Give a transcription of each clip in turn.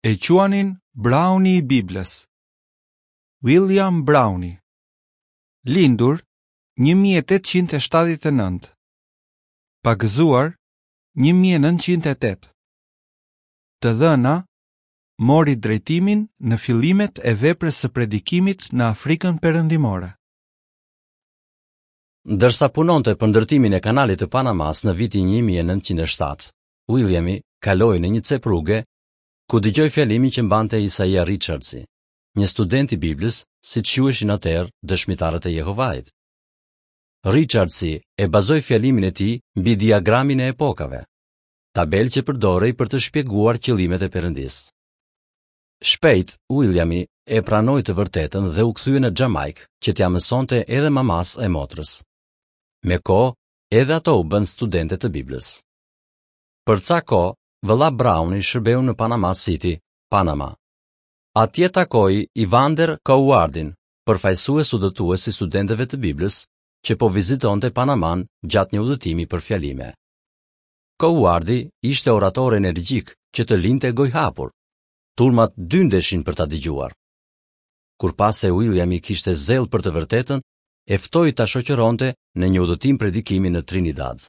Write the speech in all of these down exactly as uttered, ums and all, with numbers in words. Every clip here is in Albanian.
E quanin Browni i Biblës. William Browni, lindur një mijë e tetëqind e shtatëdhjetë e nëntë, pagëzuar një mijë e nëntëqind e tetë. Të dhëna mori drejtimin në fillimet e veprës së predikimit në Afrikën Perëndimore. Ndërsa punonte për ndërtimin e kanalit të Panamas në vitin një mijë e nëntëqind e shtatë, Williami kaloi në një cep rruge ku dëgjoi fjalimin që mbante Isaia Richardsi, një student i Biblës, siç quheshin atëherë dëshmitarët e Jehovait. Richardsi e bazoi fjalimin e tij mbi diagramin e epokave, tabelë që përdorej për të shpjeguar qëllimet e Perëndisë. Shpejt, Williami e pranoi të vërtetën dhe u kthye në Xhamajkë që t'ia mësonte edhe mamas e motrës. Me kohë, edhe ato u bënë studente të Biblës. Për ca kohë, vëlla Browni shërbeu në Panama City, Panama. Atje takoi Evander Cowardin, përfaqësues udhëtues i studentëve të Biblës, që po vizitonte Panaman gjatë një udhëtimi për fjalime. Cowardi ishte orator energjik që të linte gojhapur. Turmat dyndeshin për ta dëgjuar. Kur pa se Williami kishte zell për të vërtetën, e ftoi ta shoqëronte në një udhëtim predikimi në Trinidad.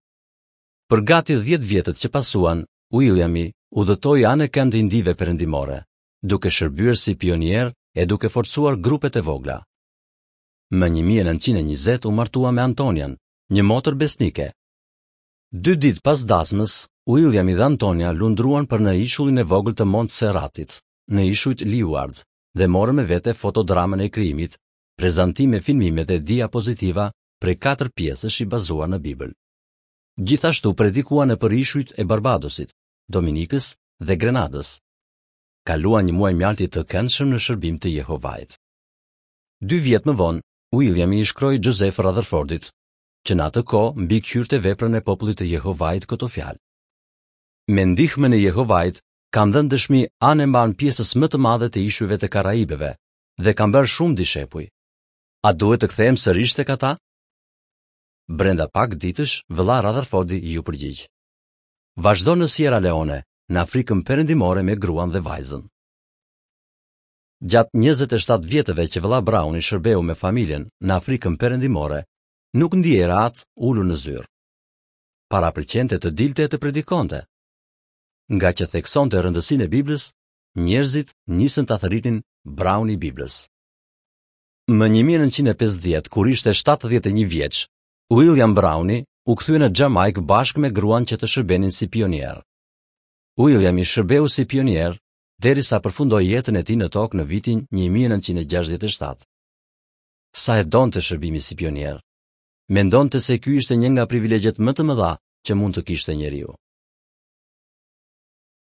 Për gati dhjetë vjetët që pasuan, Williami udhëtoi anekënd Indive Perëndimore, duke shërbyer si pionier e duke forcuar grupet e vogla. Më një mijë e nëntëqind e njëzet u martua me Antonian, një motër besnike. Dy ditë pas dasmës, Williami dhe Antonia lundruan për në ishullin e vogël të Montserratit, në ishujt Leeward, dhe morën me vete fotodramën e krijimit, prezantime filmime dhe diapozitiva prej katër pjesësh i bazuar në Bibël. Gjithashtu predikuan nëpër ishujt e Barbadosit, Dominikës dhe Grenadës. Kaluan një muaj mjalti të këndshëm në shërbim të Jehovait. Dy vjet më vonë, Williami i shkroi Joseph Rutherfordit, që në atë kohë mbikëqyrte veprën e popullit të Jehovait këto fjalë. Me ndihmën e Jehovait kam dhënë dëshmi anë e mban pjesës më të madhe të ishujve të Karaibeve dhe kam bërë shumë dishepuj. A duhet të kthehem sërish tek ata? Brenda pak ditësh, vëlla Rutherfordi iu përgjigj. Vazhdo në Sierra Leone, në Afrikën Perëndimore me gruan dhe vajzën. Gjatë njëzet e shtatë vjetëve që vëlla Browni shërbeu me familjen në Afrikën Perëndimore, nuk ndihej rehat ulur në zyrë. Parapëlqente të dilte e të predikonte. Nga që theksonte rëndësinë e Biblës, njerëzit nisën ta thërritin Browni i Biblës. Më një mijë e nëntëqind e pesëdhjetë, kur ishte shtatëdhjetë e një vjeç, William Browni u kthye në Xhamajkë bashkë me gruan që të shërbenin si pionier. Williami shërbeu si pionier derisa përfundoi jetën e tij në tokë në vitin një mijë e nëntëqind e gjashtëdhjetë e shtatë. Sa e donte shërbimi si pionier. Mendonte se ky ishte një nga privilegjet më të mëdha që mund të kishte njeriu.